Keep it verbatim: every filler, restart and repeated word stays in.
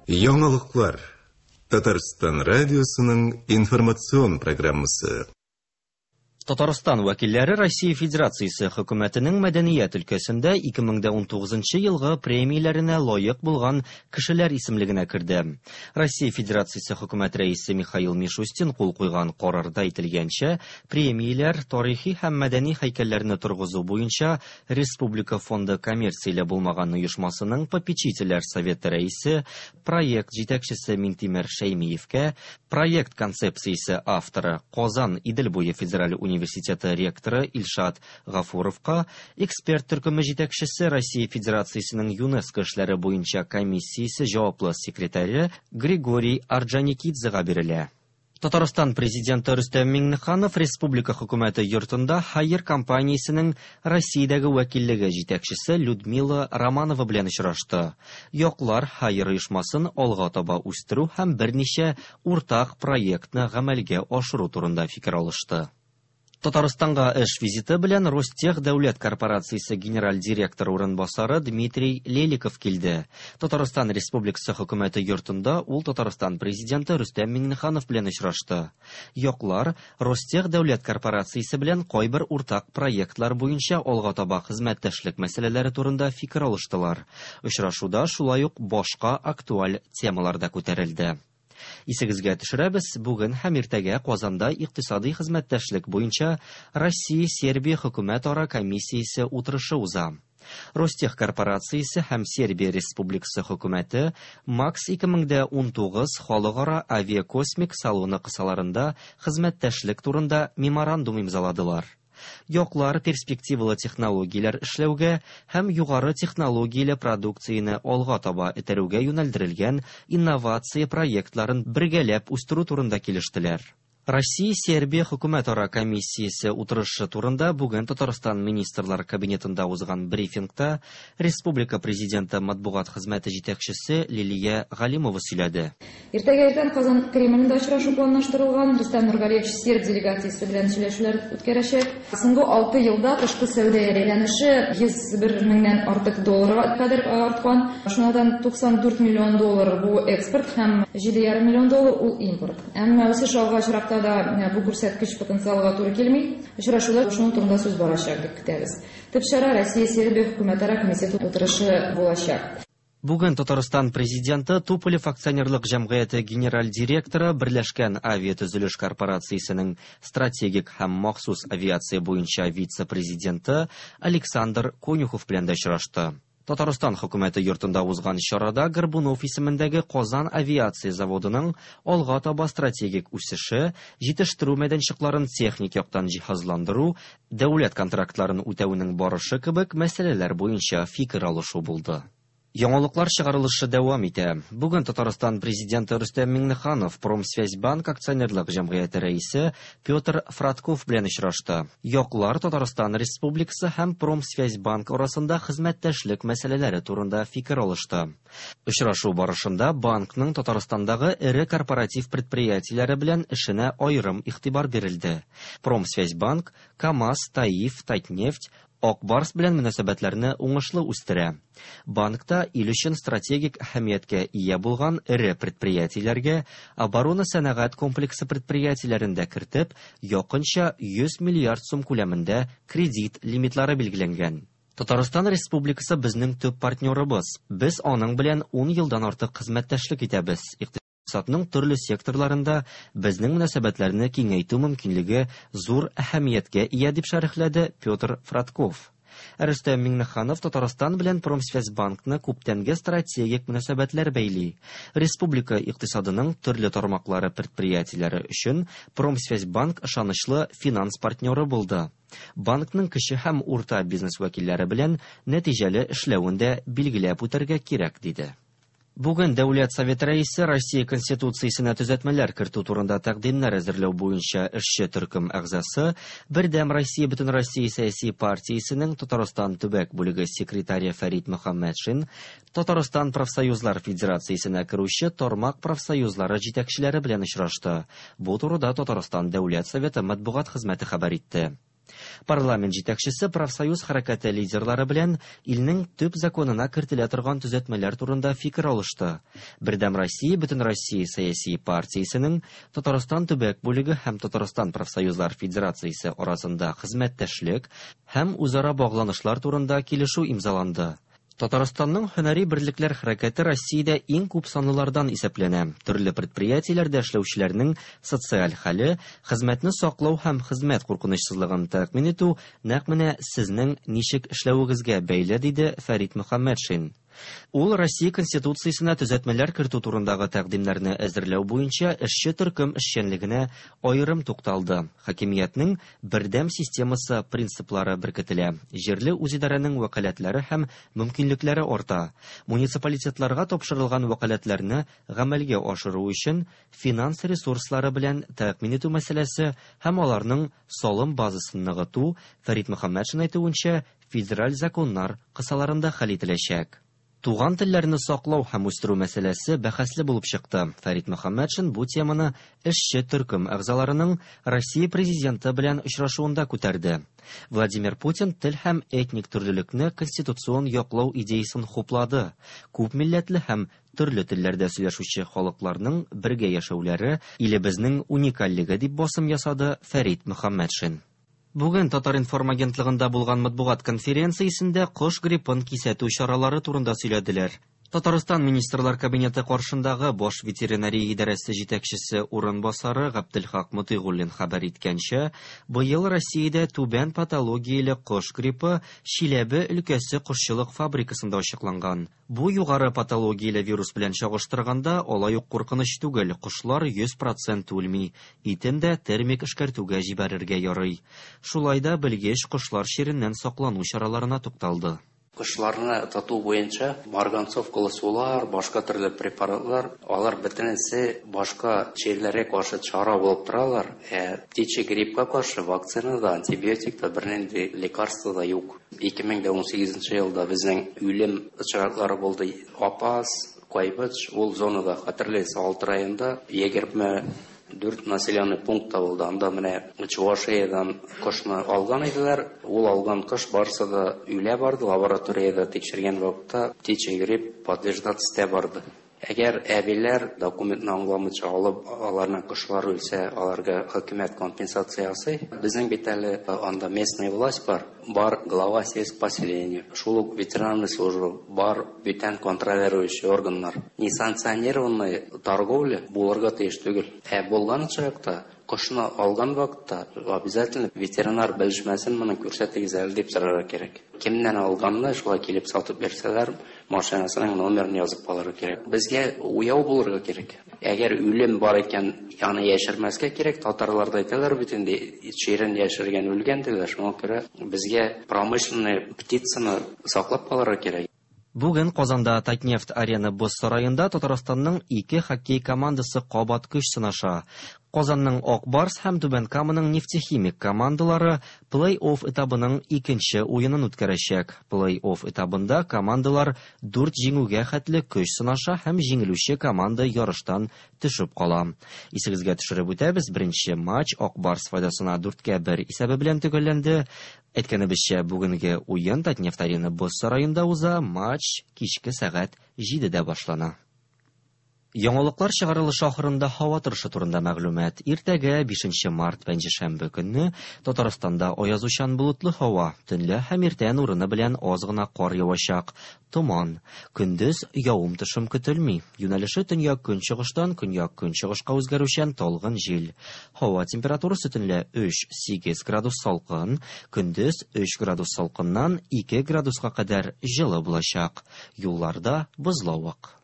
Яңалыклар. Татарстан радиосының информацион программасы. Татарстан вәкилләре Россия Федерациясе хөкүмәтенең мәдәният өлкәсендә ике мең дә унтугызынчы елгы премияләренә лаек булган кешеләр исемлегенә керде. Россия Федерациясе хөкүмәт рәисе Михаил Мишустин кул куйган карарда әйтелгәнчә, премияләр тарихи һәм мәдәни һәйкәлләрне торгызу буенча Республика фонды коммерцияле булмаган оешмасының попечительләр советы рәисе, проект җитәкчесе Минтимер Шәймиевкә, проект концепциясе авторы Казан Идел буе федераль университеты ректоры Илшат Гафуровка, эксперт төркеме җитәкчесе Россия Федерациясенең ЮНЕСКО эшләре буенча комиссиясе җаваплы секретаре Григорий Орджоникидзега бирелә. Татарстан президенты Рөстәм Миңнеханов Республика хөкүмәте йортында Хайер компаниясенең Россиядәге вәкиллеге җитәкчесе Людмила Романова белән очрашты. Яклар Хайер оешмасын алга таба үстерү һәм берничә уртак проектны гамәлгә ашыру турында фикер алышты. Татарстанга эш визиты белән Ростех дәүләт корпорациясе генераль директоры урынбасары Дмитрий Леликов килде. Татарстан Республикасы хөкүмәте йортында ул Татарстан президенты Рөстәм Миңнеханов белән очрашты. Яклар Ростех дәүләт корпорациясе белән кайбер уртак проектлар буенча алга таба хезмәттәшлек мәсьәләләре турында фикер алыштылар. Очрашуда шулай ук башка актуаль темалар да күтәрелде. Исегезгә төшерәбез, бүген һәм иртәгә Казанда икътисади хезмәттәшлек буенча Россия-Сербия хөкүмәтара комиссиясе утырышы уза. Ростех корпорациясе һәм Сербия Республикасы хөкүмәте МАКС ике мең дә унтугыз халыкара авиакосмик салоны кысаларында хезмәттәшлек турында меморандум имзаладылар. Яклар перспективалы технологияләр эшләүгә һәм югары технологияле продукцияне алга таба этәрүгә юнәлдерелгән инновация проектларын бергәләп үстерү турында килештеләр. Россия-Сербия хөкүмәтара комиссиясе утырышы турында бүген Татарстан Министрлар Кабинетында узган брифингта Республика Президенты матбугат хезмәте җитәкчесе Лилия Галимова сөйләде. Иртәгә иртән Казан Кремлендә очрашу планлаштырылган. Рөстәм Нургалиевич серб делегациясе белән сөйләшүләр үткәрәчәк. Соңгы алты елда тышкы сәүдә әйләнеше йөз бер меңнән артык долларга кадәр арткан. Шуннан туксан дүрт миллион доллар бу экспорт һәм җиде ярым миллион доллар ул импорт. Әмма үсеш алга очракта да бу күрсәткеч потенциалга туры килми. Очрашуда шуның турында сүз барачак дип көтәбез. Төп чара Россия-Сербия хөкүмәтара комитеты утырышы булачак. Бүген Татарстан президенты Туполев акционерлык җәмгыяте генераль директоры Берләшкән авиатөзелеш корпорациясенең стратегик һәм махсус авиация буенча вице-президенты Александр Конюхов белән дә очрашты. Татарстан хөкүмәте йортында узган чарада Горбунов исемендәге Казан авиация заводының алга таба стратегик үсеше, җитештерү мәйданчыкларын техник яктан җиһазландыру, дәүләт контрактларын үтәүнең барышы кебек мәсьәләләр буенча фикер алышу булды. Яңалыклар чыгарылышы дәвам итә. Бүген Татарстан президенты Рөстәм Миңнеханов Промсвязьбанк акционерлык җәмгыяте рәисе Петр Фратков белән очрашты. Яклар Татарстан Республикасы һәм Промсвязьбанк арасында хезмәттәшлек мәсьәләләре турында фикер алышты. Очрашу барышында банкның Татарстандагы эре корпоратив предприятиеләре белән эшенә аерым игътибар бирелде. Промсвязьбанк, КАМАЗ, ТАИФ, Татнефть, Ак Барс белән мөнәсәбәтләрне уңышлы үстерә. Банкта ил өчен стратегик әһәмияткә ия булган эре предприятиеләргә оборона сәнәгать комплексы предприятиеләрен дә кертеп, якынча йөз миллиард сум күләмендә кредит лимитлары билгеләнгән. Татарстан Республикасы безнең төп партнерыбыз. Без аның белән ун елдан артык хезмәттәшлек итәбез. Икътисадның төрле секторларында безнең мөнәсәбәтләрне киңәйтү мөмкинлеге зур әһәмияткә ия дип шәрехләде Петр Фратков. Рөстәм Миңнеханов Татарстан белән Промсвязьбанкны күптәнге стратегик мөнәсәбәтләр бәйли. Республика икътисадының төрле тармаклары предприятиеләре өчен Промсвязьбанк ышанычлы финанс партнеры булды. Банкның кече һәм урта бизнес вәкилләре белән нәтиҗәле эшләвен дә билгеләп үтәргә кирәк, диде. Бүген Дәүләт Советы рәисе Россия Конституциясенә төзәтмәләр кертү турында тәкъдимнәр әзерләү буенча эшче төркем әгъзасы, Бердәм Россия Бөтенроссия сәяси партиясенең Татарстан төбәк бүлеге секретаре Фәрит Мөхәммәтшин, Татарстан профсоюзлар федерациясенә керүче тармак профсоюзлары җитәкчеләре белән очрашты. Бу турыда Татарстан Дәүләт Советы матбугат хезмәте хәбәр итте. Парламент җитәкчесе профсоюз хәрәкәте лидерлары белән илнең төп законына кертелә торган төзәтмәләр турында фикер алышты. Бердәм Россия Бөтенроссия сәяси партиясенең Татарстан төбәк бүлеге һәм Татарстан профсоюзлар федерациясе арасында хезмәттәшлек һәм үзара багланышлар турында килешү имзаланды. Татарстанның һөнәри берлекләр хәрәкәте Россиядә иң күп санлылардан исәпләнә. Төрле предприятиеләрдә эшләүчеләрнең социаль хәле, хезмәтне саклау һәм хезмәт куркынычсызлыгын тәэмин итү нәкъ менә сезнең ничек эшләвегезгә бәйле, диде Фәрит Мөхәммәтшин. Ул Россия Конституциясенә төзәтмәләр кертү турындагы тәкъдимнәрне әзерләү буенча эшче төркем эшчәнлегенә аерым тукталды. Хакимиятнең бердәм системасы принциплары беркетелә. Җирле үзидарәнең вәкаләтләре һәм мөмкинлекләре арта. Муниципалитетларга тапшырылган вәкаләтләрне гамәлгә ашыру өчен финанс ресурслары белән тәэмин итү мәсьәләсе һәм аларның салым базасын ныгыту, Фәрит Мөхәммәтшин әйтүенчә, федераль законнар кысаларында хәл ителәчәк. Туган телләрне саклау һәм үстерү мәсьәләсе бәхәсле булып чыкты. Фәрит Мөхәммәтшин бу теманы эшче төркем әгъзаларының Россия президенты белән очрашуында күтәрде. Владимир Путин тел һәм этник төрлелекне конституцион яклау идеясын хуплады. Күп милләтле һәм төрле телләрдә сөйләшүче халыкларның бергә яшәүләре илебезнең уникальлеге дип басым ясады Фәрит Мөхәммәтшин. Бүген Татар-информ агентлыгында булган матбугат конференциясендә кош гриппын кисәтү чаралары турында сөйләделәр. Татарстан Министрлар Кабинеты каршындагы баш ветеринария идарәсе җитәкчесе урынбасары Габделхак Мотыйгуллин хәбәр иткәнчә, быел Россиядә түбән патологияле кош гриппы Чиләбе өлкәсе кошчылык фабрикасында ачыкланган. Бу югары патологияле вирус белән чагыштырганда алай ук куркыныч түгел, кошлар йөз процент үлми, итен дә термик эшкәртүгә җибәрергә ярый. Шулай да белгеч кошлар чиреннән саклану чараларына тукталды. Кошларны тоту буенча марганцовкалы сулар, башка төрле препаратлар, алар бөтенесе башка чирләргә каршы чара булып торалар. Ә птичий гриппка каршы вакцина да, антибиотик та, бернинди лекарство да юк. ике мең дә унсигезенче елда безнең үлем очраклары булды. Апас, Кайбыч, ул зонада, хәтерләсә, алты районда егерме дүрт населенный пункт табылды. Анда менә Чувашиядан кошны алган иделәр. Ул алган кош барысы да үлә барды. Лабораториядә тикшергән вакытта птичий грипп подтверждаться барды. Әгәр әбиләр документны аңламыйча алып, аларның кошлары үлсә, аларга хөкүмәт компенсация ясый. Безнең бит әле анда местная власть бар, бар глава сельского поселения, шул ук ветеринарная служба, бар бүтән контролирующий органнар. Несанкционированная торговля булырга тиеш түгел. Ә булган очракта, кошны алган вакытта обязательно ветеринар белешмәсен моны күрсәтегез әле дип сорарга кирәк. Кемнән алганны шулай килеп сатып бирсәләр, машинасының номерын язып калырга кирәк. Безгә уяу булырга кирәк. Әгәр үлем бар икән, аны яшермәскә кирәк. Татарларда әйтәләр бит инде, чирен яшергән үлгән диләр. Шуңа күрә безгә промышленный птицаны саклап калырга кирәк. Бүген Казанда Татнефть арена боз сараенда Татарстанның ике хоккей командасы кабат көч сынаша. Казанның Ак Барс һәм Түбән Каманың Нефтехимик командалары плей-офф этабының икенче уенын үткәрәчәк. Плей-офф этабында командалар дүрт җиңүгә хәтле көч сынаша һәм җиңелүче команда ярыштан төшеп кала. Исегезгә төшереп үтәбез, беренче матч Ак Барс файдасына дүрткә бер исәбе белән төгәлләнде. Әйткәнебезчә, бүгенге уен Татнефть арена боз сараенда уза, матч кичке сәгать җидедә башлана. Яңалыклар чыгарылышы ахырында һава торышы турында мәгълүмат. Иртәгә бишенче март пәнҗешәмбе көнне Татарстанда аязучан болытлы һава, төнлә һәм иртән урыны белән аз гына кар явачак, томан. Көндез явым-төшем көтелми. Юнәлеше төньяк көнчыгыштан көньяк көнчыгышка үзгәрүчән талгын җил. Һава температурасы төнлә өч сигез градус салкын, көндез өч градус салкыннан ике градуска кадәр җылы булачак. Юлларда бозлавык.